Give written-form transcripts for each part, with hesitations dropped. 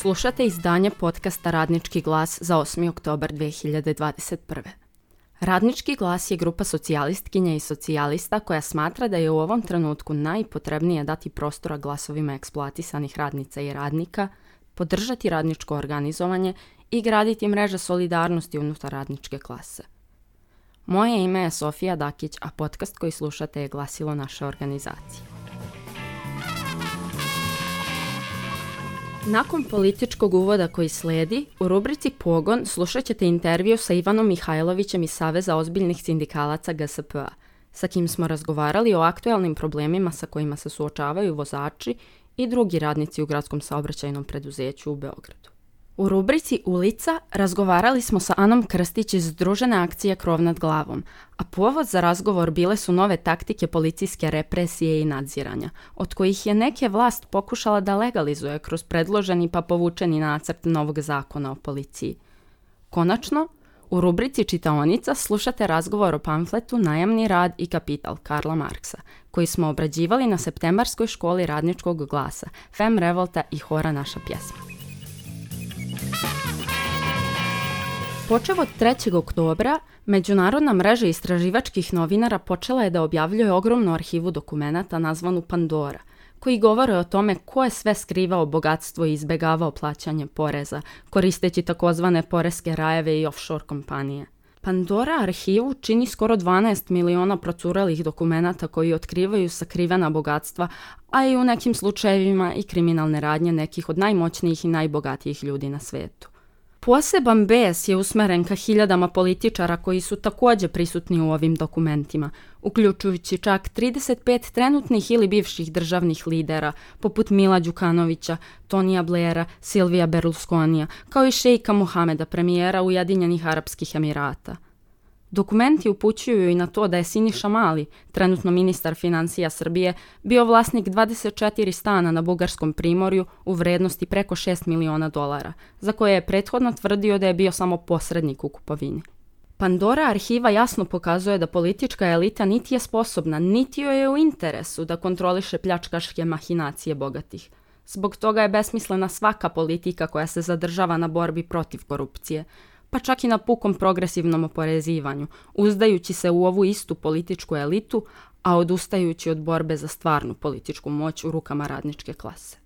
Slušate izdanje podcasta Radnički glas za 8. oktobar 2021. Radnički glas je grupa socijalistkinja i socijalista koja smatra da je u ovom trenutku najpotrebnije dati prostora glasovima eksploatisanih radnica i radnika, podržati radničko organizovanje i graditi mreže solidarnosti unutar radničke klase. Moje ime je Sofija Dakić, a podcast koji slušate je glasilo naše organizacije. Nakon političkog uvoda koji slijedi, u rubrici Pogon slušat ćete intervju sa Ivanom Mihajlovićem iz Saveza ozbiljnih sindikalaca GSP-a, sa kim smo razgovarali o aktualnim problemima sa kojima se suočavaju vozači i drugi radnici u gradskom saobraćajnom preduzeću u Beogradu. U rubrici Ulica razgovarali smo sa Anom Krstić iz Združene akcije Krov nad glavom, a povod za razgovor bile su nove taktike policijske represije i nadziranja, od kojih je neke vlast pokušala da legalizuje kroz predloženi pa povučeni nacrt novog zakona o policiji. Konačno, u rubrici Čitaonica slušate razgovor o pamfletu Najamni rad i kapital Karla Marksa, koji smo obrađivali na septembarskoj školi radničkog glasa, Fem Revolta i Hora naša pjesma. Počev od 3. oktobra, Međunarodna mreža istraživačkih novinara počela je da objavljuje ogromnu arhivu dokumenata nazvanu Pandora, koji govore o tome ko je sve skrivao bogatstvo i izbegavao plaćanje poreza, koristeći takozvane poreske rajeve i offshore kompanije. Pandora arhivu čini skoro 12 miliona procurelih dokumenata koji otkrivaju sakrivena bogatstva, a i u nekim slučajevima i kriminalne radnje nekih od najmoćnijih i najbogatijih ljudi na svetu. Poseban bes je usmeren ka hiljadama političara koji su također prisutni u ovim dokumentima, uključujući čak 35 trenutnih ili bivših državnih lidera, poput Mila Đukanovića, Tonija Blaira, Silvija Berlusconija, kao i šejka Mohameda, premijera Ujedinjenih Arapskih Emirata. Dokumenti upućuju i na to da je Siniša Mali, trenutno ministar financija Srbije, bio vlasnik 24 stana na Bugarskom primorju u vrednosti preko $6 miliona, za koje je prethodno tvrdio da je bio samo posrednik u kupovini. Pandora arhiva jasno pokazuje da politička elita niti je sposobna, niti joj je u interesu da kontroliše pljačkaške mahinacije bogatih. Zbog toga je besmislena svaka politika koja se zadržava na borbi protiv korupcije, pa čak i na pukom progresivnom oporezivanju, uzdajući se u ovu istu političku elitu, a odustajući od borbe za stvarnu političku moć u rukama radničke klase.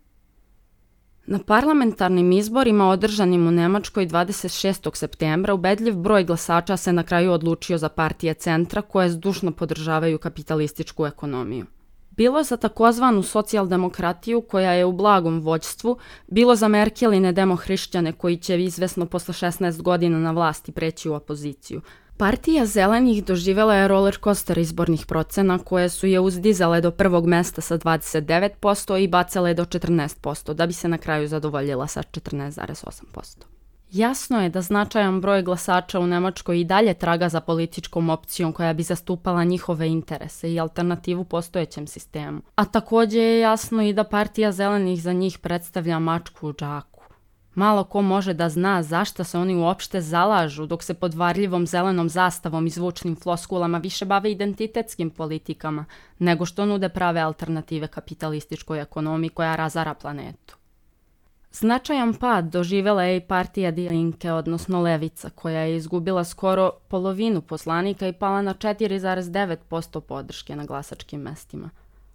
Na parlamentarnim izborima održanim u Nemačkoj 26. septembra ubedljiv broj glasača se na kraju odlučio za partije centra koje zdušno podržavaju kapitalističku ekonomiju. Bilo za takozvanu socijaldemokratiju koja je u blagom vođstvu, bilo za Merkeline demohrišćane koji će izvesno posle 16 godina na vlasti preći u opoziciju. Partija zelenih doživjela je roller coaster izbornih procena koje su je uzdizale do prvog mesta sa 29% i bacale do 14%, da bi se na kraju zadovoljila sa 14,8%. Jasno je da značajan broj glasača u Nemačkoj i dalje traga za političkom opcijom koja bi zastupala njihove interese i alternativu postojećem sistemu. A također je jasno i da partija zelenih za njih predstavlja mačku u džaku. Malo ko može da zna zašto se oni uopšte zalažu dok se pod varljivom zelenom zastavom i zvučnim floskulama više bave identitetskim politikama nego što nude prave alternative kapitalističkoj ekonomiji koja razara planetu. Značajan pad doživjela je i partija Die Linke, odnosno Levica, koja je izgubila skoro polovinu poslanika i pala na 4,9% podrške na glasačkim mestima.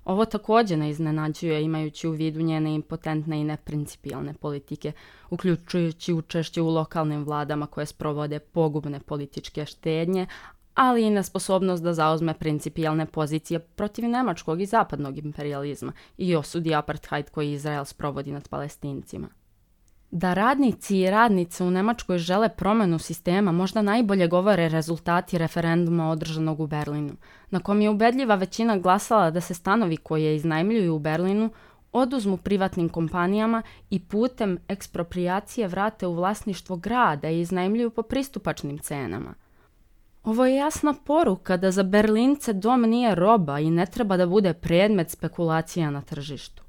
Ovo također ne iznenađuje imajući u vidu njene impotentne i neprincipijalne politike, uključujući učešće u lokalnim vladama koje sprovode pogubne političke štednje, ali i nesposobnost da zauzme principijalne pozicije protiv nemačkog i zapadnog imperializma i osudi apartheid koji Izrael sprovodi nad Palestincima. Da radnici i radnice u Nemačkoj žele promjenu sistema možda najbolje govore rezultati referenduma održanog u Berlinu, na kom je ubedljiva većina glasala da se stanovi koje iznajmljuju u Berlinu oduzmu privatnim kompanijama i putem eksproprijacije vrate u vlasništvo grada i iznajmljuju po pristupačnim cenama. Ovo je jasna poruka da za Berlince dom nije roba i ne treba da bude predmet spekulacija na tržištu.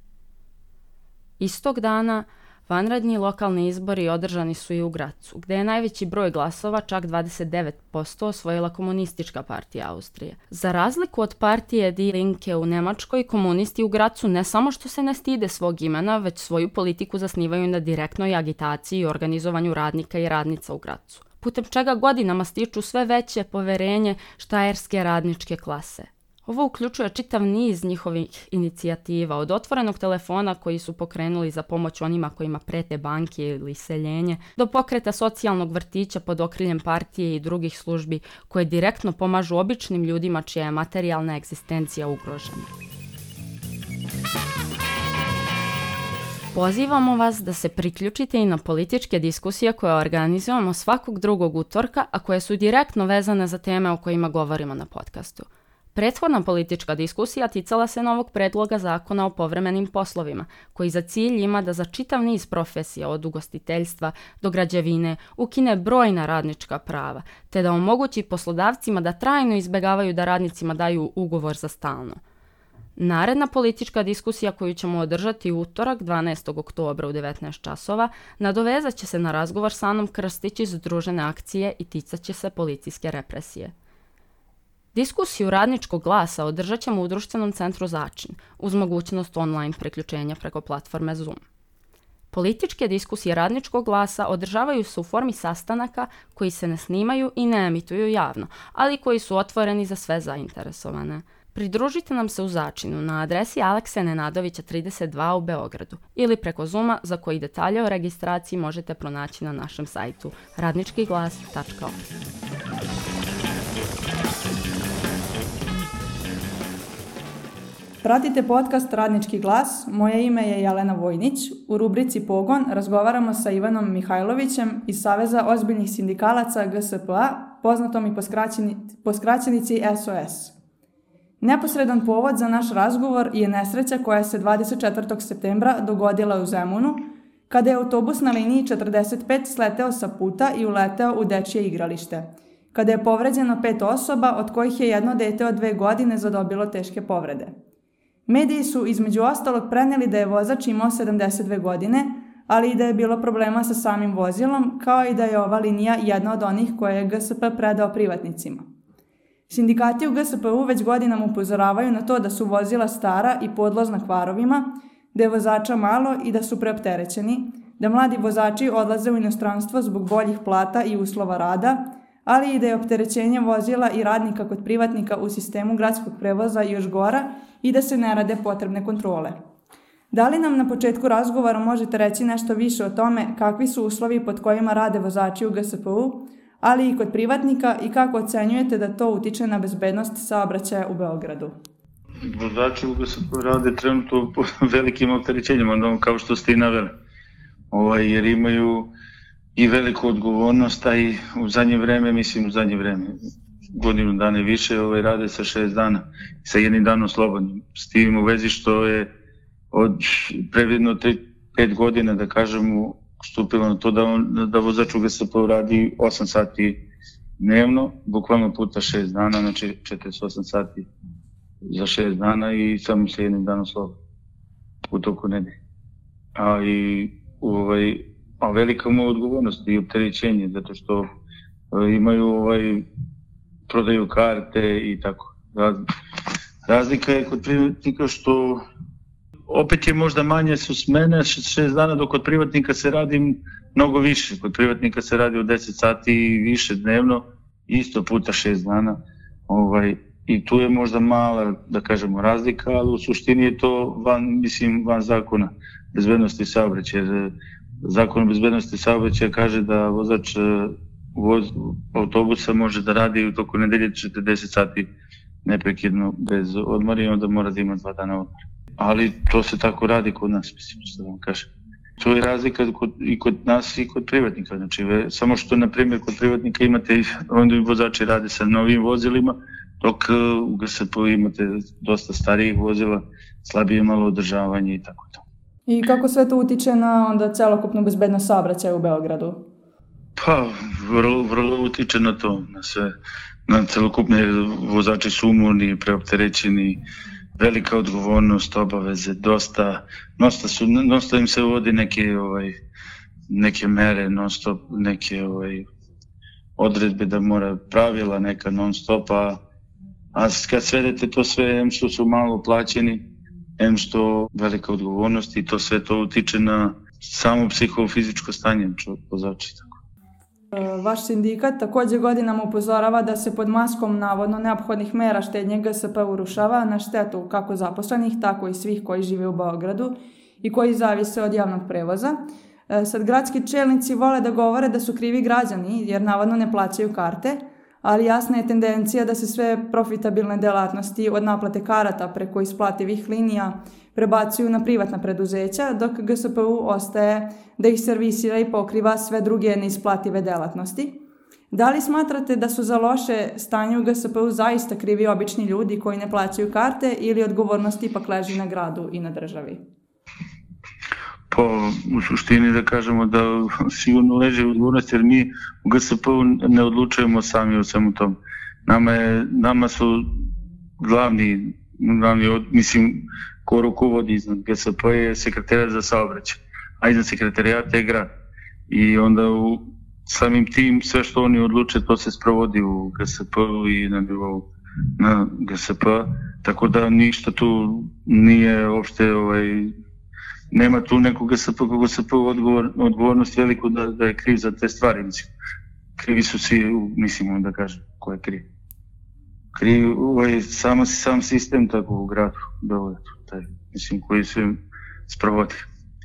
Istog dana Vanredni lokalni izbori održani su i u Grazu, gdje je najveći broj glasova, čak 29%, osvojila Komunistička partija Austrije. Za razliku od partije Die Linke u Njemačkoj, komunisti u Grazu ne samo što se ne stide svog imena, već svoju politiku zasnivaju na direktnoj agitaciji i organizovanju radnika i radnica u Grazu, putem čega godinama stiču sve veće poverenje štajerske radničke klase. Ovo uključuje čitav niz njihovih inicijativa, od otvorenog telefona koji su pokrenuli za pomoć onima kojima prete banke ili iseljenje, do pokreta socijalnog vrtića pod okriljem partije i drugih službi koje direktno pomažu običnim ljudima čija je materijalna egzistencija ugrožena. Pozivamo vas da se priključite i na političke diskusije koje organizujemo svakog drugog utorka, a koje su direktno vezane za teme o kojima govorimo na podcastu. Prethodna politička diskusija ticala se novog predloga zakona o povremenim poslovima, koji za cilj ima da za čitav niz profesija od ugostiteljstva do građevine ukine brojna radnička prava, te da omogući poslodavcima da trajno izbjegavaju da radnicima daju ugovor za stalno. Naredna politička diskusija koju ćemo održati u utorak 12. oktobra u 19 časova nadovezat će se na razgovor sa Anom Krstić iz Združene akcije i ticat će se policijske represije. Diskusiju Radničkog glasa održat ćemo u društvenom centru Začin, uz mogućnost online priključenja preko platforme Zoom. Političke diskusije Radničkog glasa održavaju se u formi sastanaka koji se ne snimaju i ne emituju javno, ali koji su otvoreni za sve zainteresovane. Pridružite nam se u Začinu na adresi Alekse Nenadovića 32 u Beogradu ili preko Zooma, za koji detalje o registraciji možete pronaći na našem sajtu radničkiglas.org. Pratite podcast Radnički glas, moje ime je Jelena Vojnić. U rubrici Pogon razgovaramo sa Ivanom Mihajlovićem iz Saveza ozbiljnih sindikalaca GSPA, poznatom i po skraćenici SOS. Neposredan povod za naš razgovor je nesreća koja se 24. septembra dogodila u Zemunu, kada je autobus na liniji 45 sleteo sa puta i uleteo u dečje igralište, kada je povređeno 5 osoba, od kojih je jedno dete od 2 godine zadobilo teške povrede. Mediji su između ostalog prenijeli da je vozač imao 72 godine, ali i da je bilo problema sa samim vozilom, kao i da je ova linija jedna od onih koje je GSP predao privatnicima. Sindikati u GSP-u već godinama upozoravaju na to da su vozila stara i podložna kvarovima, da je vozača malo i da su preopterećeni, da mladi vozači odlaze u inostranstvo zbog boljih plata i uslova rada, ali i da je opterećenje vozila i radnika kod privatnika u sistemu gradskog prevoza još gora i da se ne rade potrebne kontrole. Da li nam na početku razgovora možete reći nešto više o tome kakvi su uslovi pod kojima rade vozači u GSP-u, ali i kod privatnika i kako ocenjujete da to utiče na bezbednost saobraćaja u Beogradu? Vozači u GSP-u rade trenutno po velikim opterećenjima, kao što ste i naveli, jer imaju i veliku odgovornost, a i u zadnje vreme, godinu dana i više, rade sa 6 dana, sa jednim danom slobodnim. S tim u vezi što je od previdno 5 godina, da kažemo, stupilo na to da vozač u GSP-u radi 8 sati dnevno, bukvalno puta 6 dana, znači 48 sati za 6 dana i samo sa jednim danom slobodnim u toku nedelje. A velika mu odgovornost i opterećenje, zato što imaju prodaju karte i tako. Razlika je kod privatnika što opet je možda manje su smene 6 dana, dok kod privatnika se radi mnogo više. Kod privatnika se radi od 10 sati i više dnevno, isto puta 6 dana. I tu je možda mala, da kažemo, razlika, ali u suštini je to van zakona bezbednosti saobraćaja. Zakon o bezbednosti saobraćaja kaže da vozač autobusa može da radi u toku nedelje 40 sati neprekidno bez odmora i onda mora da ima 2 dana odmora. Ali to se tako radi kod nas, što da vam kažem. To je razlika i kod nas i kod privatnika. Znači, samo što, na primjer, kod privatnika imate, onda i vozači rade sa novim vozilima, dok u GSP-u imate dosta starijih vozila, slabije malo održavanje i tako to. I kako sve to utiče na onda celokupnu bezbednost saobraćaja u Beogradu? Pa, vrlo utiče na to, na sve. Na celokupne vozači su umorni, preopterećeni, velika odgovornost, obaveze, dosta im se uvodi neke mere, neke odredbe da mora pravila neka non stop, a kad svedete to sve, em što su malo plaćeni, em što velika odgovornost i to sve to utiče na samo psihofizičko stanje vozača. Vaš sindikat također godinama upozorava da se pod maskom navodno neophodnih mera štednje GSP urušava na štetu kako zaposlenih, tako i svih koji žive u Beogradu i koji zavise od javnog prevoza. Sad gradski čelnici vole da govore da su krivi građani jer navodno ne plaćaju karte, ali jasna je tendencija da se sve profitabilne delatnosti od naplate karata preko isplativih linija prebacuju na privatna preduzeća, dok GSP-u ostaje da ih servisira i pokriva sve druge neisplative delatnosti. Da li smatrate da su za loše stanje u GSP-u zaista krivi obični ljudi koji ne plaćaju karte ili odgovornost ipak leži na gradu i na državi? Pa u suštini da kažemo da sigurno leži odgovornost jer mi u GSP-u ne odlučujemo sami o svemu tom. Nama su glavni, mislim, ko rukovodi iznad GSP je sekretariat za saobraćaj, a iznad sekretarijata je grad. I onda samim tim sve što oni odluče to se sprovodi u GSP-u i na nivou na GSP, tako da ništa tu nije uopšte nema tu nekog GSP odgovornost veliku da je kriv za te stvari. Mislim. Krivi su svi, mislimo da kažem, ko je kriv. Kriv sam sistem tako u gradu, mislim, koji se sprovodi.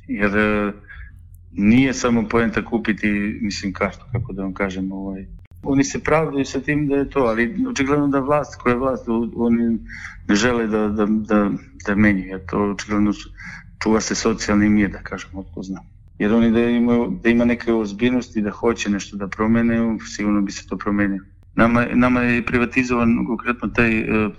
Jer nije samo poenta kupiti, mislim, kartu, kako da vam kažem. Oni se pravdaju sa tim da je to, ali očigledno da vlast, koja je vlast, oni ne žele da menju, jer to očigledno čuva se socijalni mir, da kažem, otko znam. Jer oni da ima neke ozbiljnosti, da hoće nešto da promene, sigurno bi se to promenilo. Nama je privatizovan konkretno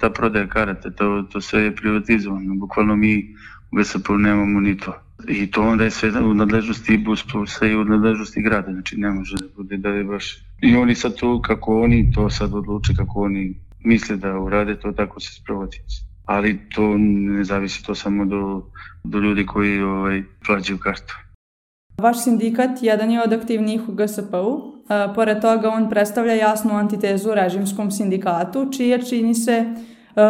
ta prodaja karata, to sve je privatizovano, bukvalno mi u GSP-u nemamo ni to. I to onda je sve u nadležnosti BusPlusa i u nadležnosti grada, znači ne može da bude da je baš... I oni sad to, kako oni to sad odluče, kako oni misle da urade, to tako se sprovodi. Ali to ne zavisi to samo do ljudi koji plaćaju kartu. Vaš sindikat jedan je od aktivnijih u GSP-u. Pored toga on predstavlja jasnu antitezu režimskom sindikatu, čiji čini se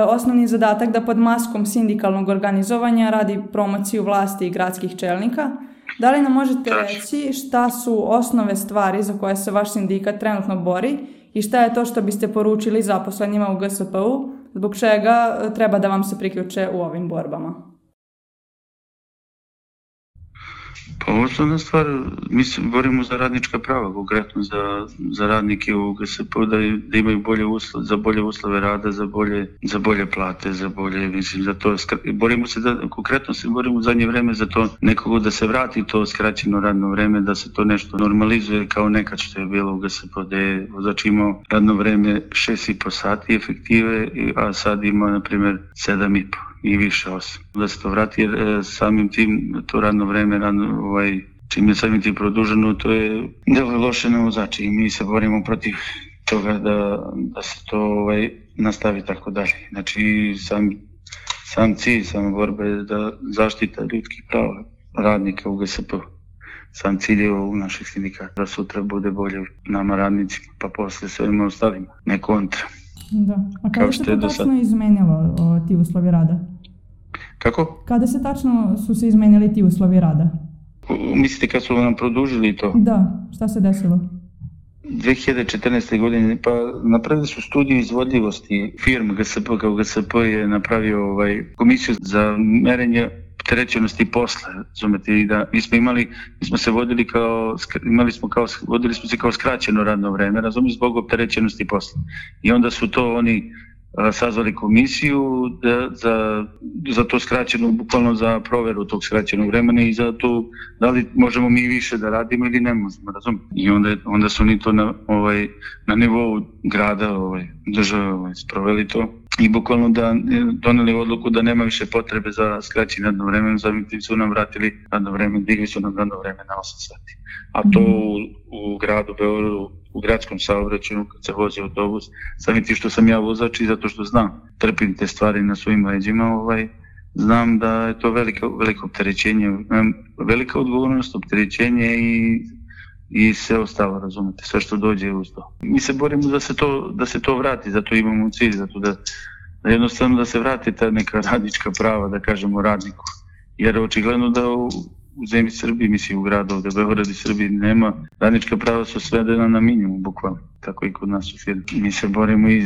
osnovni zadatak da pod maskom sindikalnog organizovanja radi promociju vlasti i gradskih čelnika. Da li nam možete reći šta su osnove stvari za koje se vaš sindikat trenutno bori i šta je to što biste poručili zaposlenima u GSP-u, zbog čega treba da vam se priključe u ovim borbama? Pa osnovna stvar, mi se borimo za radnička prava, konkretno za radnike u GSP-u, da imaju bolje uslove rada, za bolje plate, za bolje, mislim, za to, konkretno se borimo u zadnje vreme za to nekoga da se vrati to skraćeno radno vreme, da se to nešto normalizuje kao nekad što je bilo u GSP-u, da je vozač imao radno vreme 6,5 sati efektive, a sad ima, na primjer, 7,5 i više 8. Da se to vrati jer samim tim to radno vreme, čim je samim tim produženo, to je delo loše na vozače i mi se borimo protiv toga da se to nastavi tako dalje. Znači sam cilj, sama borba je da zaštita ljudskih prava radnika u GSP-u. Sam cilj je u naših sindikata da sutra bude bolje nama radnicima, pa posle svima ostalima, ne kontra. Da. A kada se to tačno izmenilo ti uslovi rada? Kako? Kada se tačno su se izmenili ti uslovi rada? Mislite kad su nam produžili to? Da, šta se desilo? 2014. godine, pa napravili su studiju izvodljivosti firme GSP, kao GSP je napravio komisiju za merenje opterećenosti posla, razumete, i da vodili smo se kao skraćeno radno vreme, razumete, zbog opterećenosti posla. I onda su to oni sazvali komisiju za to skraćeno, bukvalno za proveru tog skraćenog vremena i za to da li možemo mi više da radimo ili ne možemo, razumete. I onda su oni to na nivou grada, države sproveli to. I bukvalno doneli odluku da nema više potrebe za skraćenje radno vreme, zamim su nam vratili radno vreme, digli su nam radno vreme na 8 sati. A to u gradu Beogradu u gradskom saobraćaju kad se vozi autobus, samim tim što sam ja vozač i zato što znam, trpim te stvari na svojim leđima, znam da je to veliko opterećenje, velika odgovornost, opterećenje i sve ostalo, razumete, sve što dođe uz to. Mi se borimo da se to vrati, zato imamo cilj, zato da jednostavno da se vrati ta neka radnička prava, da kažemo radniku. Jer očigledno da u zemlji Srbiji, mislim u gradu ovde, Beograd i Srbiji nema, radnička prava su svedena na minimum, bukvalno, tako i kod nas u firmi. Mi se borimo i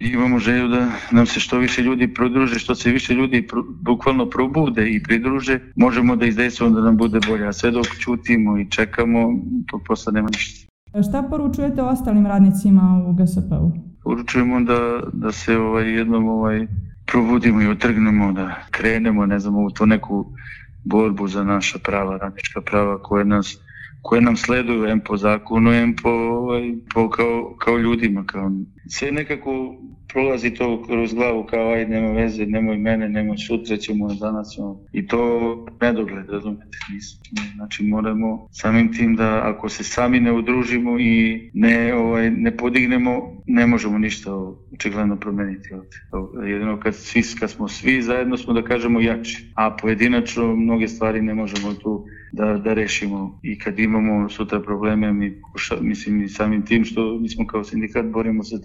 imamo želju da nam se što više ljudi pridruže, što se više ljudi bukvalno probude i pridruže, možemo da izdejstvamo da nam bude bolje, a sve dok ćutimo i čekamo, to posle nema ništa. Šta poručujete ostalim radnicima u GSP-u? Poručujemo da se jednom probudimo i otrgnemo, da krenemo, ne znam, u to neku borbu za naša prava, radnička prava koje nam sleduju, em po zakonu, em kao ljudima. Sve nekako prolazi to kroz glavu kao aj nema veze, nemoj mene, nemoj sutra ćemo, danas ćemo. I to nedogled, razumete, znači moramo samim tim da ako se sami ne udružimo i ne podignemo, ne možemo ništa očigledno promeniti ovdje. Jedino kad smo svi zajedno smo da kažemo jači, a pojedinačno mnoge stvari ne možemo tu da rešimo i kad imamo sutra probleme, mislim i samim tim što mi smo kao sindikat borimo se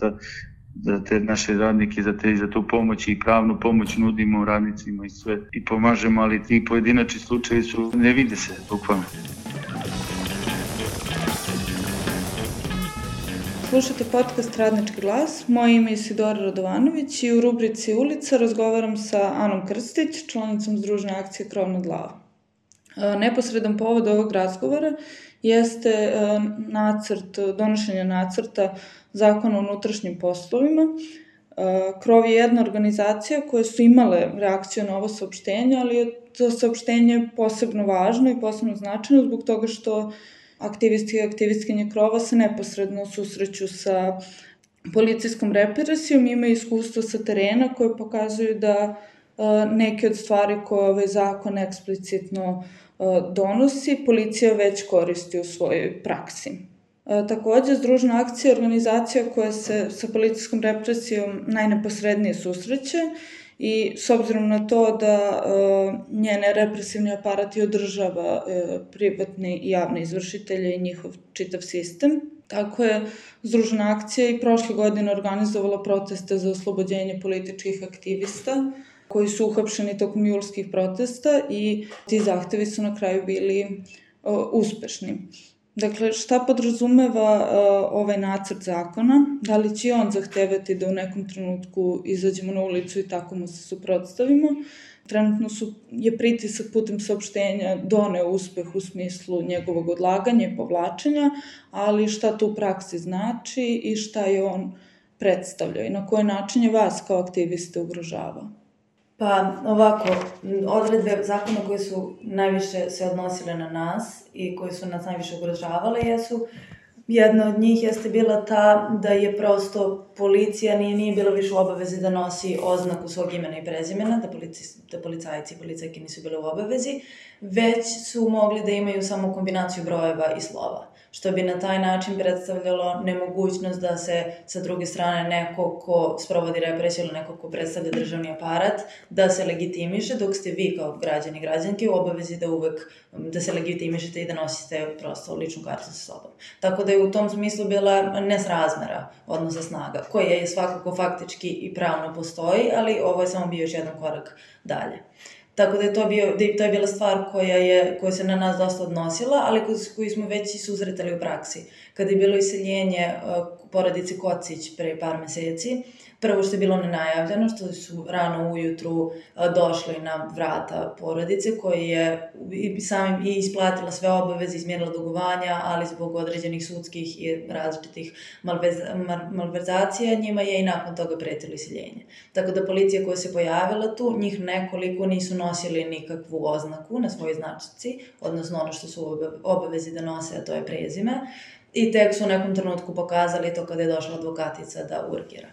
za te naše radnike, za tu pomoć i pravnu pomoć nudimo radnicima i sve i pomažemo, ali ti pojedinačni slučajevi ne vide se bukvalno. Slušate podcast Radnički glas, moje ime je Isidora Radovanović i u rubrici Ulica razgovaram sa Anom Krstić, članicom Združene akcije Krov nad glavom. Neposredan povod ovog razgovora jeste donošenje nacrta Zakona o unutrašnjim poslovima. Krov je jedna organizacija koja su imale reakciju na ovo saopštenje, ali je to saopštenje posebno važno i posebno značajno zbog toga što aktivisti i aktivistkinje Krova se neposredno susreću sa policijskom represijom, imaju iskustvo sa terena koje pokazuju da neke od stvari koje ovaj zakon eksplicitno donosi, policija već koristi u svojoj praksi. Takođe, Združena akcija je organizacija koja se sa policijskom represijom najneposrednije susreće i s obzirom na to da njene represivni aparat održava privatne i javne izvršitelje i njihov čitav sistem, tako je Združena akcija i prošle godine organizovala proteste za oslobođenje političkih aktivista koji su uhapšeni tokom julskih protesta i ti zahtevi su na kraju bili uspešni. Dakle, šta podrazumeva ovaj nacrt zakona? Da li će on zahtevati da u nekom trenutku izađemo na ulicu i tako mu se suprotstavimo? Trenutno je pritisak putem saopštenja doneo uspeh u smislu njegovog odlaganja i povlačenja, ali šta to u praksi znači i šta je on predstavljao i na koji način je vas kao aktiviste ugrožavao? Pa ovako, odredbe zakona koje su najviše se odnosile na nas i koje su nas najviše ugrožavale jesu, jedna od njih jeste bila ta da je prosto policija nije bila više u obavezi da nosi oznaku svog imena i prezimena, da policajci i policajke nisu bile u obavezi, već su mogli da imaju samo kombinaciju brojeva i slova, što bi na taj način predstavljalo nemogućnost da se sa druge strane neko ko sprovodi represiju ili neko ko predstavlja državni aparat, da se legitimiše, dok ste vi kao građani i građanke u obavezi da se legitimišete i da nosite prosto ličnu kartu sa sobom. Tako da je u tom smislu bila nesrazmera odnosa snaga, koja je svakako faktički i pravno postoji, ali ovo je samo bio još jedan korak dalje. Tako da je to je bila stvar koja se na nas dosta odnosila, ali koju smo već i susretali u praksi. Kada je bilo iseljenje porodice Kocić pre par meseci, prvo što je bilo nenajavljeno, što su rano ujutru došli na vrata porodice koja je samim i isplatila sve obaveze, izmjerila dugovanja, ali zbog određenih sudskih i različitih malverzacija njima je i nakon toga pretilo iseljenje. Tako da policija koja se pojavila tu, njih nekoliko nisu nosili nikakvu oznaku na svojoj značci, odnosno ono što su obavezi da nose, a to je prezime, i tek su u nekom trenutku pokazali to kada je došla advokatica da urgira.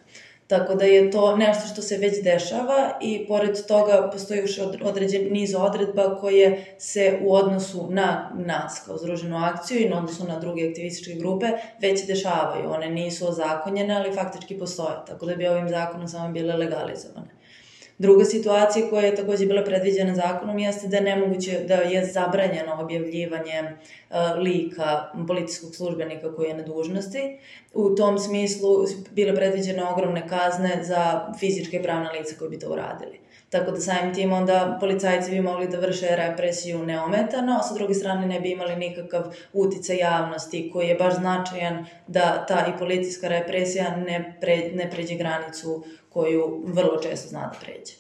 Tako da je to nešto što se već dešava i pored toga postoji još određen niz odredba koje se u odnosu na nas kao združenu akciju i na odnosu na druge aktivističke grupe već dešavaju. One nisu ozakonjene, ali faktički postoje, tako da bi ovim zakonom samo bile legalizovane. Druga situacija koja je takođe bila predviđena zakonom jeste da je nemoguće, da je zabranjeno objavljivanje lika policijskog službenika koji je na dužnosti. U tom smislu bile predviđene ogromne kazne za fizičke i pravna lica koji bi to uradili. Tako da samim tim onda policajci bi mogli da vrše represiju neometano, a sa druge strane ne bi imali nikakav uticaj javnosti koji je baš značajan da ta i policijska represija ne pređe granicu koju vrlo često zna da pređe.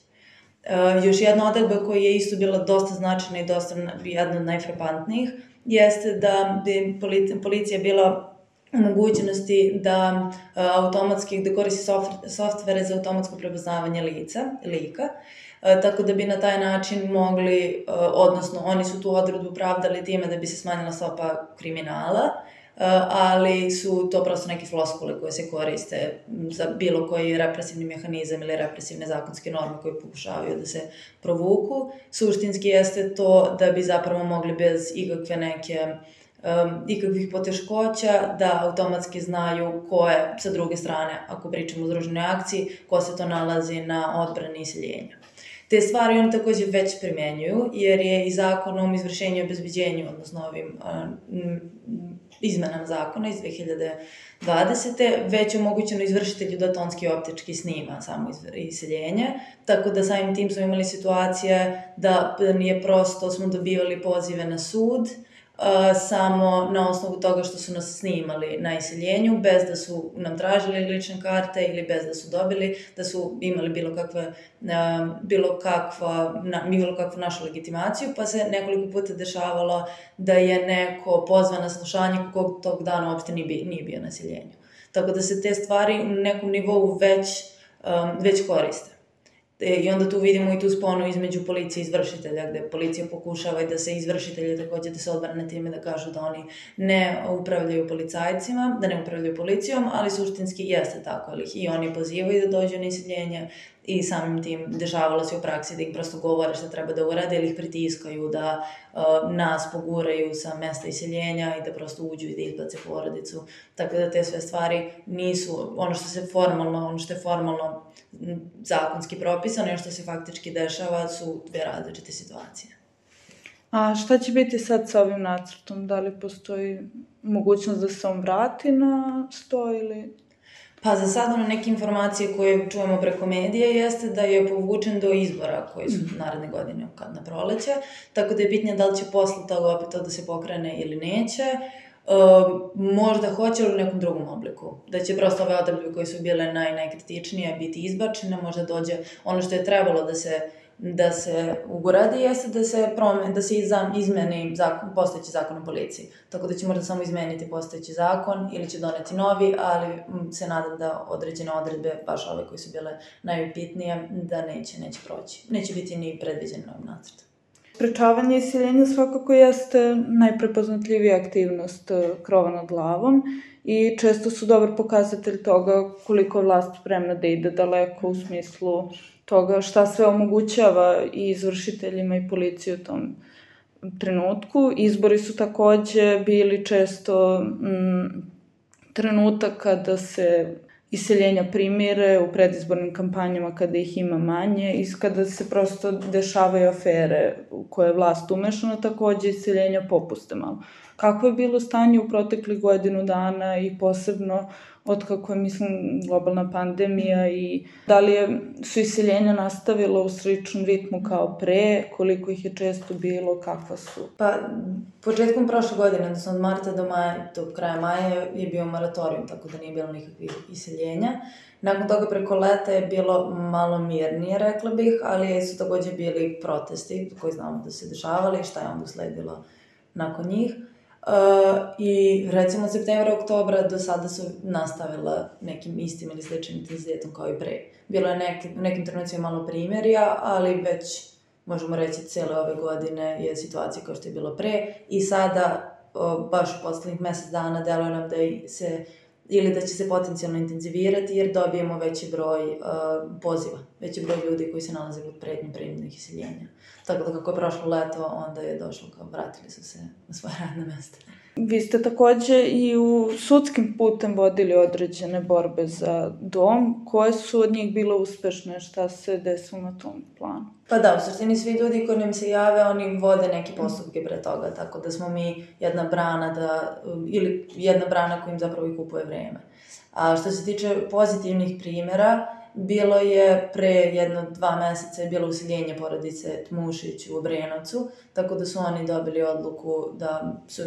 Još jedna odredba koja je isto bila dosta značajna i dosta jedna od najfrapantnijih jeste da bi policija bila u mogućnosti da automatski da koristi softvere za automatsko prepoznavanje lika, tako da bi na taj način mogli, odnosno oni su tu odredbu pravdali time da bi se smanjila stopa kriminala, ali su to prosto neke floskule koje se koriste za bilo koji represivni mehanizam ili represivne zakonske norme koje pokušavaju da se provuku. Suštinski jeste to da bi zapravo mogli bez ikakvih poteškoća da automatski znaju ko je sa druge strane, ako pričamo o združenoj akciji, ko se to nalazi na odbrani iseljenja. Te stvari oni takođe već primenjuju, jer je i zakonom izvršenju i obezbeđenju, odnosno ovim izmenama zakona iz 2020. već omogućeno izvršitelju da tonski i optički snima samo iseljenje, tako da samim tim smo imali situacije da nije prosto smo dobivali pozive na sud, samo na osnovu toga što su nas snimali na iseljenju, bez da su nam tražili lične karte ili bez da su dobili, da su imali bilo kakvu našu legitimaciju, pa se nekoliko puta dešavalo da je neko pozvan na slušanje kog tog dana uopšte nije bio na iseljenju. Tako da se te stvari u nekom nivou već koriste. I onda tu vidimo i tu sponu između policije i izvršitelja, gde policija pokušava i da se izvršitelji takođe da se odbrane time da kažu da oni ne upravljaju policajcima, da ne upravljaju policijom, ali suštinski jeste tako, ali i oni pozivaju da dođu na iseljenje i samim tim dešavalo se u praksi da im prosto govore šta treba da urade ili ih pritiskaju da nas poguraju sa mesta iseljenja i da prosto uđu i da izbace porodicu. Tako da te sve stvari nisu ono što je formalno zakonski propisano i što se faktički dešava su dve različite situacije. A šta će biti sad sa ovim nacrtom? Da li postoji mogućnost da se on vrati na sto ili... Pa za sad neke informacije koje čujemo preko medija jeste da je povučen do izbora koji su naredne godine na proleće, tako da je bitnije da li će posle toga opet to da se pokrene ili neće. Možda hoće ili u nekom drugom obliku. Da će prosto ove odredbe koje su bile najkritičnije biti izbačene, možda dođe ono što je trebalo da se uguradi jeste da se izmeni postojeći zakon o policiji. Tako da će možda samo izmeniti postojeći zakon ili će doneti novi, ali se nadam da određene odredbe, baš ove koje su bile najbitnije, da neće proći. Neće biti ni predviđen novim nacrtom. Sprečavanje iseljenja svakako jeste najprepoznatljivija aktivnost krova nad glavom i često su dobar pokazatelj toga koliko je vlast spremna da ide daleko u smislu toga šta sve omogućava i izvršiteljima i policiji u tom trenutku. Izbori su takođe bili često trenutak kada se iseljenja primire u predizbornim kampanjama kada ih ima manje i kada se prosto dešavaju afere u koje je vlast umešana, takođe iseljenja popuste malo. Kako je bilo stanje u proteklih godinu dana i posebno otkako je, globalna pandemija i da li su iseljenja nastavila u sličnom ritmu kao pre, koliko ih je često bilo, kakva su? Pa, početkom prošle godine, odnosno od marta do kraja maja je bio moratorijum, tako da nije bilo nikakvih iseljenja. Nakon toga preko leta je bilo malo mirnije, rekla bih, ali su takođe bili protesti koji znamo da se dešavali, šta je onda usledilo nakon njih. I recimo od septembra, oktobra do sada su nastavila nekim istim ili sličnim intenzitetom kao i pre. Bilo je nekim trenucima malo primerja, ali već možemo reći cele ove godine je situacija kao što je bilo pre i sada baš u poslednjih mesec dana deluje nam da se ili da će se potencijalno intenzivirati jer dobijemo veći broj poziva, veći broj ljudi koji se nalaze pod pretnjom prinudnih iseljenja. Tako da kako je prošlo leto, onda je došlo kao vratili su se na svoje radne mesta. Vi ste takođe i u sudskim putem vodili određene borbe za dom. Koje su od njih bile uspešne? Šta se desilo na tom planu? Pa da, u suštini svi ljudi koji nam se jave, oni vode neke postupke pre toga, tako da smo mi jedna brana koja im zapravo i kupuje vreme. A što se tiče pozitivnih primjera, bilo je pre 1-2 meseca je bilo useljenje porodice Tmušić u Obrenovcu, tako da su oni dobili odluku da su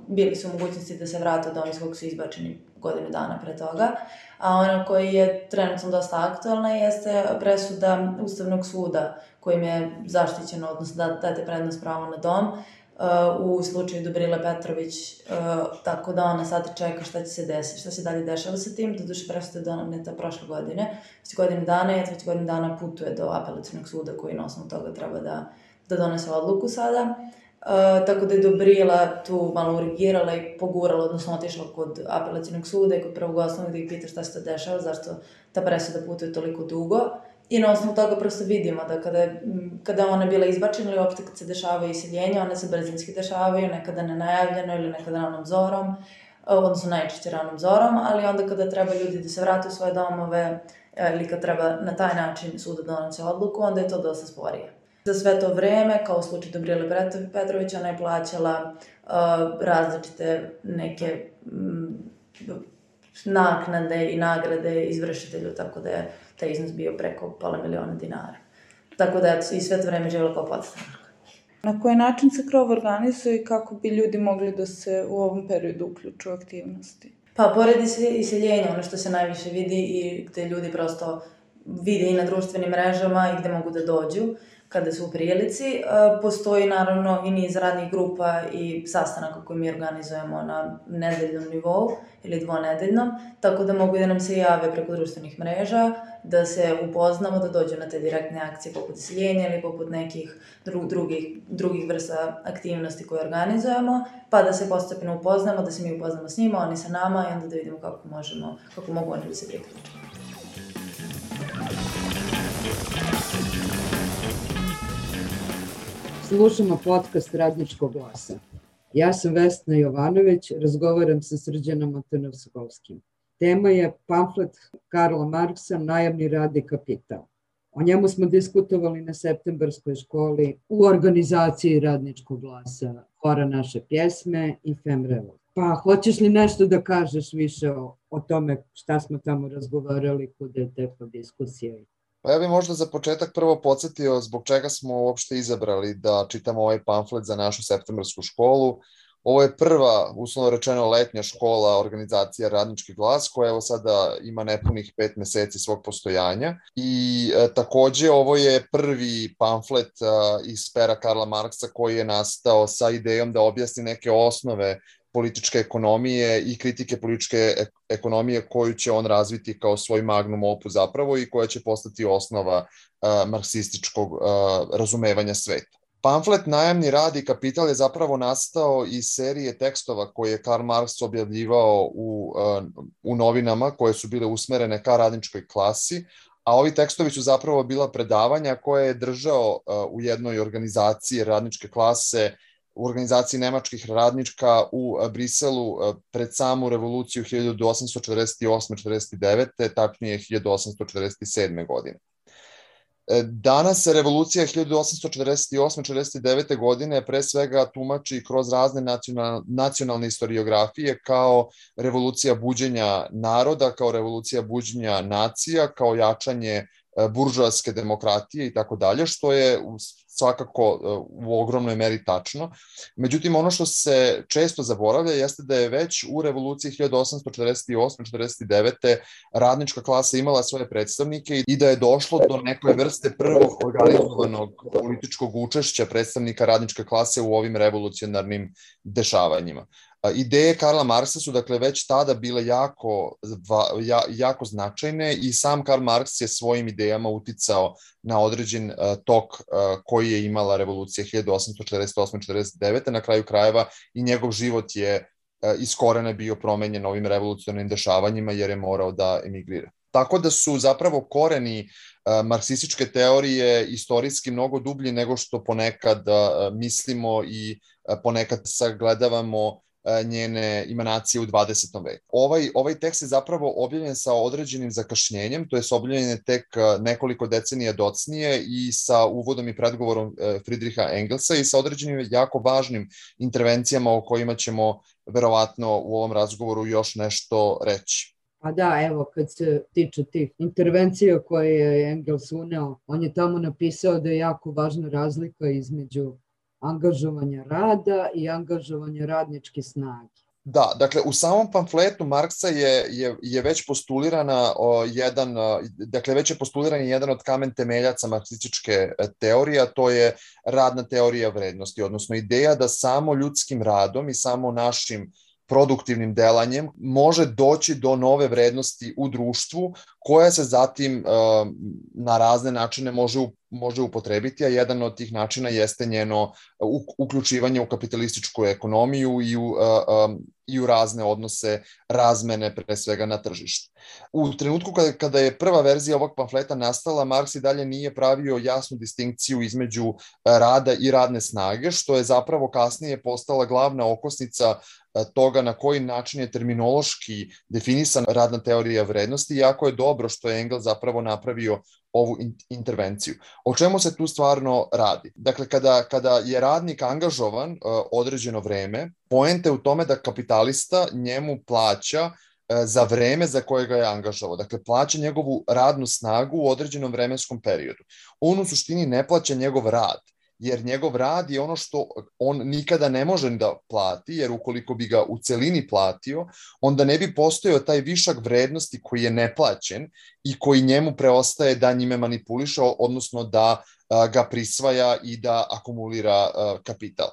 bili su u mogućnosti da se vrate od doma iz kog su izbačeni godinu dana pre toga. A ona koji je trenutno dosta aktualna jeste presuda Ustavnog suda kojim je zaštićeno, odnosno date prednost pravo na dom u slučaju Dobrile Petrović, tako da ona sad čeka šta će se desiti, šta se dalje dešava sa tim. Doduše presuda je doneta prošle godine, već godinu dana i već godinu dana putuje do apelacionog suda koji na osnovu toga treba da donese odluku sada. Tako da je Dobrila tu malo urigirala i pogurala, odnosno otišla kod apelacionog suda i kod prvog osnovnog da ih pita šta se to dešava, zašto ta presuda putuje toliko dugo. I na osnovu toga prosto vidimo da kada ona je bila izbačena ili uopšte kad se dešavaju iseljenja, one se brzinski dešavaju, nekada nenajavljeno ili nekada ranom zorom, odnosno najčešće ranom zorom, ali onda kada treba ljudi da se vrate u svoje domove ili kad treba na taj način suda donose odluku, onda je to dosta sporije. Za sve to vreme, kao u slučaju Dobrile Petrović, ona je plaćala različite neke naknade i nagrade izvršitelju, tako da je taj iznos bio preko $500.000. Tako da i sve to vreme živjela kao podstanarka. Na koji način se Krov organizuje i kako bi ljudi mogli da se u ovom periodu uključu u aktivnosti? Pa, pored iseljenja, ono što se najviše vidi i gde ljudi prosto vide i na društvenim mrežama i gde mogu da dođu kada su u prilici. Postoji naravno i niz radnih grupa i sastanaka koje mi organizujemo na nedeljnom nivou ili dvonedeljnom, tako da mogu da nam se jave preko društvenih mreža, da se upoznamo, da dođu na te direktne akcije poput iseljenja ili poput nekih drugih vrsta aktivnosti koje organizujemo, pa da se postepeno upoznamo, da se mi upoznamo s njima, oni sa nama i onda da vidimo kako mogu oni da se priključe. Slušamo podcast Radničkog glasa. Ja sam Vesna Jovanović, razgovaram sa Srđanom Antonovskovskim. Tema je pamflet Karla Marksa Najamni rad i kapital. O njemu smo diskutovali na septembarskoj školi u organizaciji Radničkog glasa, Hora naše pjesme i Femrevo. Pa hoćeš li nešto da kažeš više o tome šta smo tamo razgovarali, kuda je tekla diskusija? Pa ja bih možda za početak prvo podsjetio zbog čega smo uopšte izabrali da čitamo ovaj pamflet za našu septembarsku školu. Ovo je prva, uslovno rečeno, letnja škola organizacija Radnički glas, koja evo sada ima nepunih 5 meseci svog postojanja. I takođe ovo je prvi pamflet iz pera Karla Marksa koji je nastao sa idejom da objasni neke osnove političke ekonomije i kritike političke ekonomije koju će on razviti kao svoj magnum opus zapravo i koja će postati osnova marksističkog razumevanja sveta. Pamflet Najamni rad i kapital je zapravo nastao iz serije tekstova koje je Karl Marx objavljivao u novinama koje su bile usmerene ka radničkoj klasi, a ovi tekstovi su zapravo bila predavanja koje je držao u jednoj organizaciji radničke klase, u organizaciji nemačkih radnička u Briselu pred samu revoluciju 1848-49, tačnije 1847. godine. Danas se revolucija 1848-49. godine pre svega tumači kroz razne nacionalne historiografije kao revolucija buđenja naroda, kao revolucija buđenja nacija, kao jačanje buržoaske demokratije i tako dalje, što je svakako u ogromnoj meri tačno. Međutim, ono što se često zaboravlja jeste da je već u revoluciji 1848-49. radnička klasa imala svoje predstavnike i da je došlo do neke vrste prvog organizovanog političkog učešća predstavnika radničke klase u ovim revolucionarnim dešavanjima. Ideje Karla Marksa su dakle već tada bile jako značajne i sam Karl Marks je svojim idejama uticao na određen tok koji je imala revolucija 1848-49. Na kraju krajeva i njegov život je iz korena bio promenjen ovim revolucionarnim dešavanjima jer je morao da emigrira. Tako da su zapravo koreni marksističke teorije istorijski mnogo dublji nego što ponekad mislimo i ponekad sagledavamo njene emanacije u 20. veku. Ovaj tekst je zapravo objavljen sa određenim zakašnjenjem, to je objavljen je tek nekoliko decenija docnije i sa uvodom i predgovorom Friedricha Engelsa i sa određenim jako važnim intervencijama o kojima ćemo verovatno u ovom razgovoru još nešto reći. Pa da, evo, kad se tiče tih intervencija koje je Engels uneo, on je tamo napisao da je jako važna razlika između angažovanja rada i angažovanja radničke snage. Da, dakle, u samom pamfletu Marksa je već postulirana jedan od kamen temeljaca marksističke teorije, a to je radna teorija vrednosti, odnosno ideja da samo ljudskim radom i samo našim produktivnim delanjem može doći do nove vrednosti u društvu koja se zatim na razne načine može upotrebiti, a jedan od tih načina jeste njeno uključivanje u kapitalističku ekonomiju i u razne odnose razmene, pre svega na tržištu. U trenutku kada je prva verzija ovog pamfleta nastala, Marks i dalje nije pravio jasnu distinkciju između rada i radne snage, što je zapravo kasnije postala glavna okosnica toga na koji način je terminološki definisan radna teorija vrednosti, jako je dobro što je Engels zapravo napravio ovu intervenciju. O čemu se tu stvarno radi? Dakle, kada je radnik angažovan određeno vreme, poenta je u tome da kapitalista njemu plaća za vreme za koje ga je angažovao. Dakle, plaća njegovu radnu snagu u određenom vremenskom periodu. On u suštini ne plaća njegov rad, jer njegov rad je ono što on nikada ne može da plati, jer ukoliko bi ga u celini platio, onda ne bi postojao taj višak vrednosti koji je neplaćen i koji njemu preostaje da njime manipuliše, odnosno da ga prisvaja i da akumulira kapital.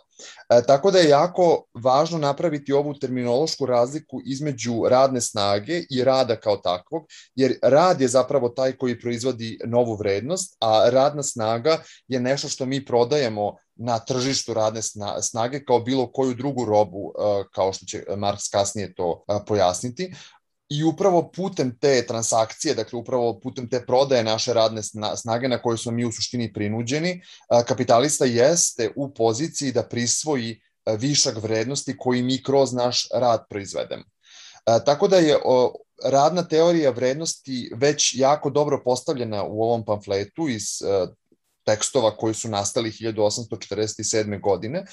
Tako da je jako važno napraviti ovu terminološku razliku između radne snage i rada kao takvog, jer rad je zapravo taj koji proizvodi novu vrednost, a radna snaga je nešto što mi prodajemo na tržištu radne snage kao bilo koju drugu robu, kao što će Marks kasnije to pojasniti. I upravo putem te transakcije, dakle upravo putem te prodaje naše radne snage na koje smo mi u suštini prinuđeni, kapitalista jeste u poziciji da prisvoji višak vrednosti koji mi kroz naš rad proizvedemo. Tako da je radna teorija vrednosti već jako dobro postavljena u ovom pamfletu iz tekstova koji su nastali 1847. godine.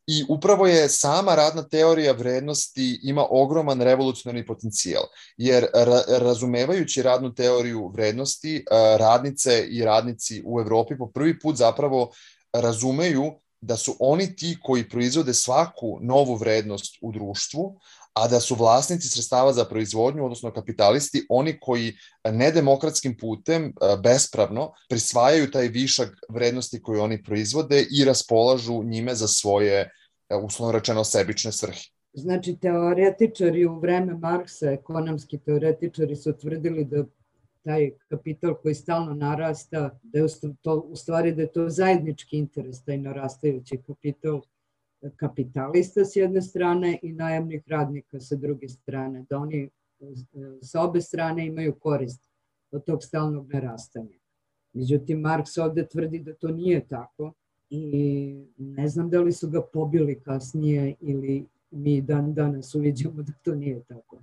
I upravo je sama radna teorija vrednosti ima ogroman revolucionarni potencijal, jer razumevajući radnu teoriju vrednosti, radnice i radnici u Evropi po prvi put zapravo razumeju da su oni ti koji proizvode svaku novu vrednost u društvu, a da su vlasnici sredstava za proizvodnju, odnosno kapitalisti, oni koji nedemokratskim putem, bespravno, prisvajaju taj višak vrednosti koju oni proizvode i raspolažu njime za svoje, uslovno rečeno, sebične svrhe. Znači, teoretičari u vreme Marksa, ekonomski teoretičari su tvrdili da taj kapital koji stalno narasta, da je u stvari da je to zajednički interes, taj narastajući kapital kapitalista s jedne strane i najamnih radnika sa druge strane, da oni sa obe strane imaju korist od tog stalnog narastanja. Međutim, Marks ovde tvrdi da to nije tako i ne znam da li su ga pobili kasnije ili mi dan danas uviđamo da to nije tako.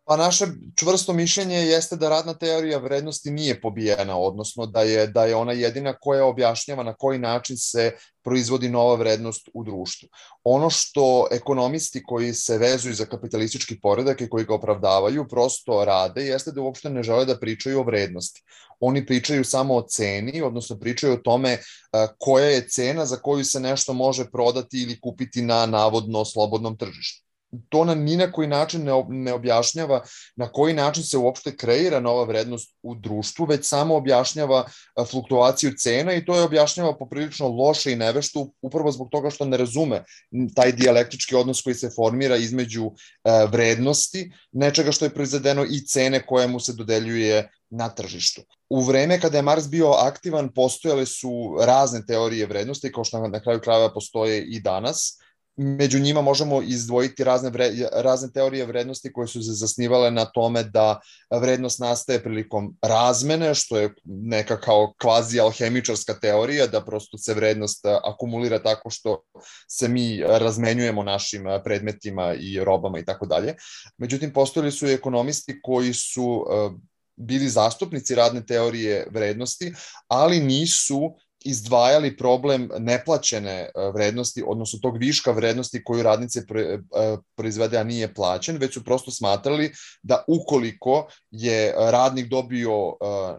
Pa naše čvrsto mišljenje jeste da radna teorija vrednosti nije pobijena, odnosno da je ona jedina koja objašnjava na koji način se proizvodi nova vrednost u društvu. Ono što ekonomisti koji se vezuju za kapitalistički poredak i koji ga opravdavaju prosto rade jeste da uopšte ne žele da pričaju o vrednosti. Oni pričaju samo o ceni, odnosno pričaju o tome koja je cena za koju se nešto može prodati ili kupiti na navodno slobodnom tržištu. To nam ni na koji način ne objašnjava na koji način se uopšte kreira nova vrednost u društvu, već samo objašnjava fluktuaciju cena i to je objašnjava poprilično loše i nevešto, upravo zbog toga što ne razume taj dijalektički odnos koji se formira između vrednosti, nečega što je proizvedeno i cene koje mu se dodeljuje na tržištu. U vreme kada je Marks bio aktivan, postojale su razne teorije vrednosti, kao što na kraju krajeva postoje i danas. Među njima možemo izdvojiti razne teorije vrednosti koje su se zasnivale na tome da vrednost nastaje prilikom razmene, što je neka kao kvazi alhemičarska teorija, da prosto se vrednost akumulira tako što se mi razmenjujemo našim predmetima i robama i tako dalje. Međutim, postojali su i ekonomisti koji su bili zastupnici radne teorije vrednosti, ali nisu izdvajali problem neplaćene vrednosti, odnosno tog viška vrednosti koju radnice proizvede, a nije plaćen, već su prosto smatrali da ukoliko je radnik dobio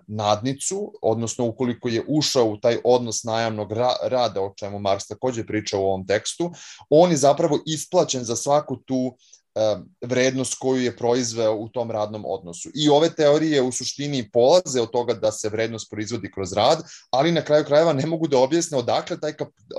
nadnicu, odnosno ukoliko je ušao u taj odnos najamnog rada, o čemu Marks takođe priča u ovom tekstu, on je zapravo isplaćen za svaku tu vrednost koju je proizveo u tom radnom odnosu. I ove teorije u suštini polaze od toga da se vrednost proizvodi kroz rad, ali na kraju krajeva ne mogu da objasne odakle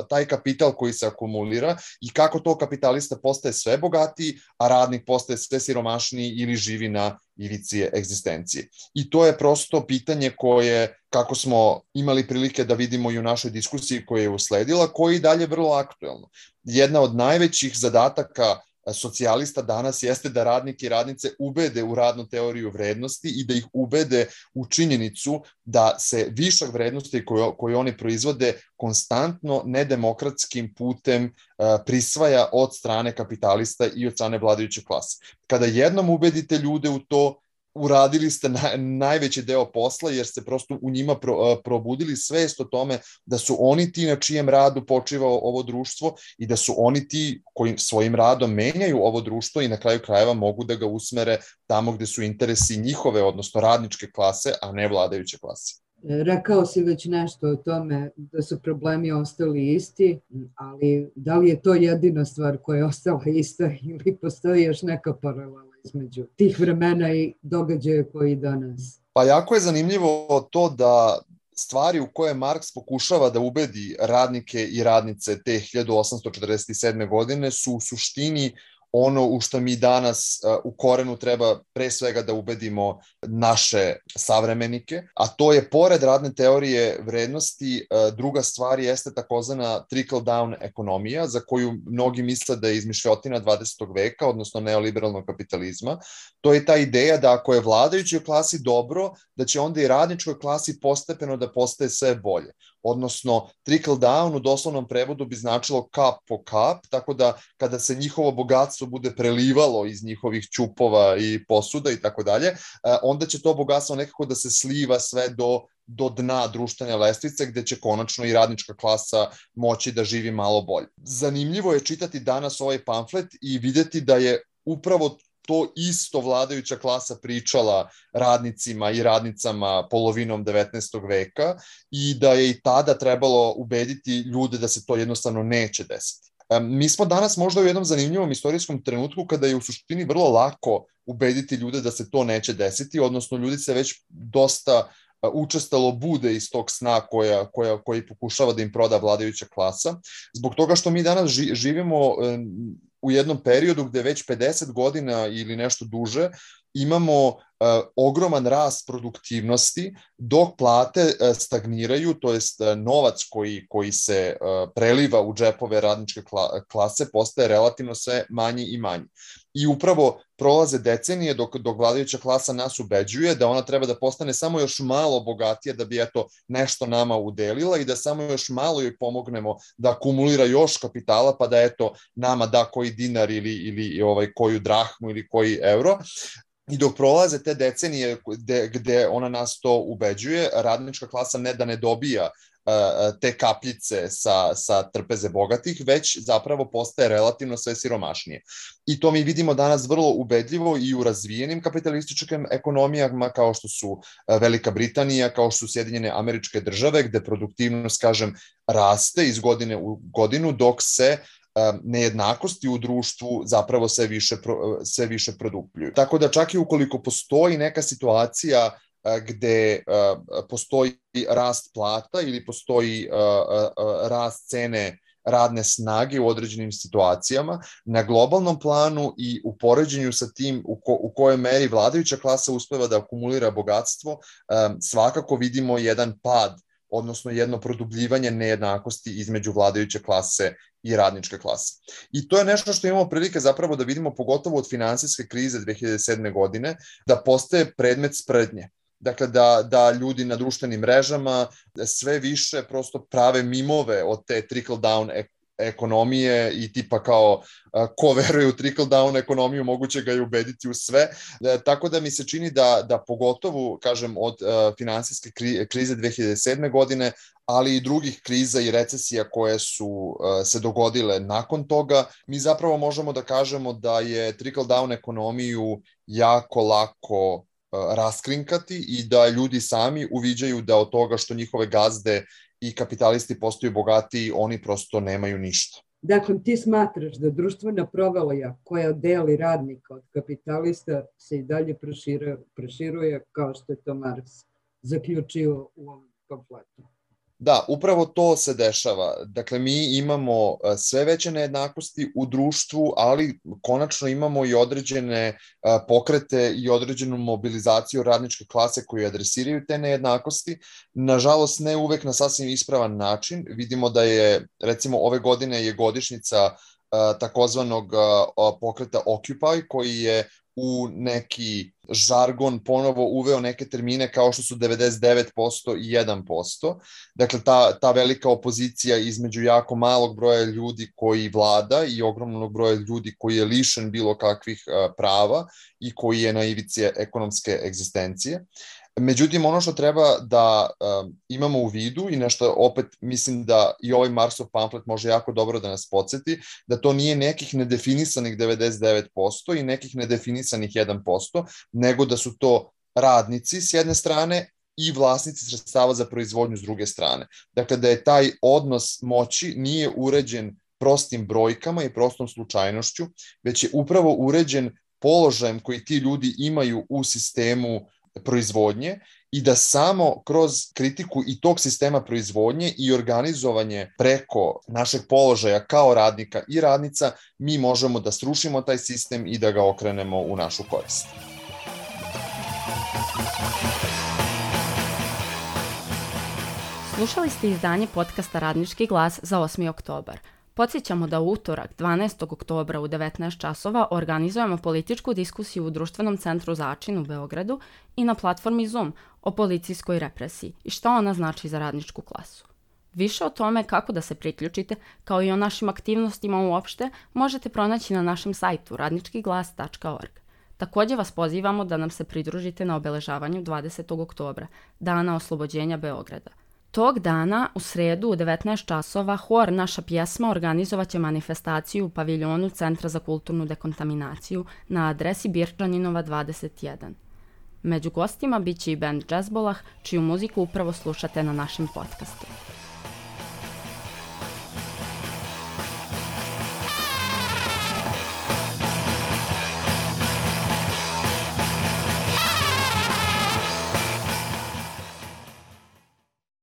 taj kapital koji se akumulira i kako to kapitalista postaje sve bogatiji, a radnik postaje sve siromašniji ili živi na ivici egzistencije. I to je prosto pitanje koje, kako smo imali prilike da vidimo i u našoj diskusiji koja je usledila, koje je i dalje vrlo aktuelno. Jedna od najvećih zadataka socijalista danas jeste da radnike i radnice ubede u radnu teoriju vrednosti i da ih ubede u činjenicu da se višak vrednosti koje oni proizvode konstantno nedemokratskim putem prisvaja od strane kapitalista i od strane vladajuće klase. Kada jednom ubedite ljude u to, uradili ste najveći deo posla, jer ste prosto u njima probudili svest o tome da su oni ti na čijem radu počiva ovo društvo i da su oni ti koji svojim radom menjaju ovo društvo i na kraju krajeva mogu da ga usmere tamo gde su interesi njihove, odnosno radničke klase, a ne vladajuće klase. Rekao si već nešto o tome da su problemi ostali isti, ali da li je to jedina stvar koja je ostala ista ili postoji još neka paralela između tih vremena i događaja koji danas? Pa jako je zanimljivo to da stvari u koje Marks pokušava da ubedi radnike i radnice te 1847. godine su u suštini ono u što mi danas u korenu treba pre svega da ubedimo naše savremenike, a to je pored radne teorije vrednosti, druga stvar jeste takozvana trickle-down ekonomija, za koju mnogi misle da je izmišljotina 20. veka, odnosno neoliberalnog kapitalizma. To je ta ideja da ako je vladajućoj klasi dobro, da će onda i radničkoj klasi postepeno da postaje sve bolje. Odnosno, trickle down u doslovnom prevodu bi značilo kap po kap, tako da kada se njihovo bogatstvo bude prelivalo iz njihovih ćupova i posuda i tako dalje, onda će to bogatstvo nekako da se sliva sve do dna društvene lestvice, gde će konačno i radnička klasa moći da živi malo bolje. Zanimljivo je čitati danas ovaj pamflet i videti da je upravo to isto vladajuća klasa pričala radnicima i radnicama polovinom 19. veka i da je i tada trebalo ubediti ljude da se to jednostavno neće desiti. Mi smo danas možda u jednom zanimljivom istorijskom trenutku kada je u suštini vrlo lako ubediti ljude da se to neće desiti, odnosno ljudi se već dosta učestalo bude iz tog sna koji pokušava da im proda vladajuća klasa, zbog toga što mi danas živimo u jednom periodu gde već 50 godina ili nešto duže imamo ogroman rast produktivnosti dok plate stagniraju, to jest novac koji se preliva u džepove radničke klase postaje relativno sve manji i manji. I upravo prolaze decenije dok vladajuća klasa nas ubeđuje da ona treba da postane samo još malo bogatija da bi nešto nama udelila i da samo još malo joj pomognemo da akumulira još kapitala pa da nama da koji dinar ili koju drahmu ili koji euro. I dok prolaze te decenije gde ona nas to ubeđuje, radnička klasa ne da ne dobija te kapljice sa trpeze bogatih, već zapravo postaje relativno sve siromašnije. I to mi vidimo danas vrlo ubedljivo i u razvijenim kapitalističkim ekonomijama kao što su Velika Britanija, kao što su Sjedinjene Američke Države, gde produktivnost, kažem, raste iz godine u godinu, dok se nejednakosti u društvu zapravo sve više produbljuju. Tako da čak i ukoliko postoji neka situacija gde postoji rast plata ili postoji rast cene radne snage u određenim situacijama, na globalnom planu i u poređenju sa tim u kojoj meri vladajuća klasa uspeva da akumulira bogatstvo, svakako vidimo jedan pad odnosno jedno produbljivanje nejednakosti između vladajuće klase i radničke klase. I to je nešto što imamo prilike zapravo da vidimo pogotovo od finansijske krize 2007. godine, da postaje predmet sprdnje. Dakle, da ljudi na društvenim mrežama sve više prosto prave mimove od te trickle-down ekonomije i tipa kao ko veruje u trickle-down ekonomiju moguće ga je ubediti u sve. Tako da mi se čini da pogotovo, kažem, od finansijske krize 2007. godine, ali i drugih kriza i recesija koje su se dogodile nakon toga, mi zapravo možemo da kažemo da je trickle-down ekonomiju jako lako raskrinkati i da ljudi sami uviđaju da od toga što njihove gazde i kapitalisti postaju bogatiji, oni prosto nemaju ništa. Dakle, ti smatraš da društvena provalija koja deli radnika od kapitalista se i dalje proširuje kao što je to Marks zaključio u ovom pamfletu? Da, upravo to se dešava. Dakle, mi imamo sve veće nejednakosti u društvu, ali konačno imamo i određene pokrete i određenu mobilizaciju radničke klase koji adresiraju te nejednakosti. Nažalost, ne uvek na sasvim ispravan način. Vidimo da je, recimo, ove godine je godišnjica takozvanog pokreta Occupy, koji je u neki žargon ponovo uveo neke termine kao što su 99% i 1%. Dakle, ta velika opozicija između jako malog broja ljudi koji vlada i ogromnog broja ljudi koji je lišen bilo kakvih prava i koji je na ivici ekonomske egzistencije. Međutim, ono što treba da imamo u vidu i nešto opet mislim da i ovaj Marksov pamflet može jako dobro da nas podsjeti, da to nije nekih nedefinisanih 99% i nekih nedefinisanih 1%, nego da su to radnici s jedne strane i vlasnici sredstava za proizvodnju s druge strane. Dakle, da je taj odnos moći nije uređen prostim brojkama i prostom slučajnošću, već je upravo uređen položajem koji ti ljudi imaju u sistemu proizvodnje i da samo kroz kritiku i tog sistema proizvodnje i organizovanje preko našeg položaja kao radnika i radnica mi možemo da srušimo taj sistem i da ga okrenemo u našu korist. Slušali ste izdanje podcasta Radnički glas za 8. oktobar. Podsjećamo da u utorak 12. oktobra u 19 časova organizujemo političku diskusiju u Društvenom centru Začin u Beogradu i na platformi Zoom o policijskoj represiji i šta ona znači za radničku klasu. Više o tome kako da se priključite, kao i o našim aktivnostima uopšte, možete pronaći na našem sajtu radničkiglas.org. Također vas pozivamo da nam se pridružite na obeležavanju 20. oktobra, Dana oslobođenja Beograda. Tog dana, u sredu u 19 časova, hor Naša pjesma organizovat će manifestaciju u paviljonu Centra za kulturnu dekontaminaciju na adresi Birčaninova 21. Među gostima bit će i band Jazzbolah, čiju muziku upravo slušate na našem podcastu.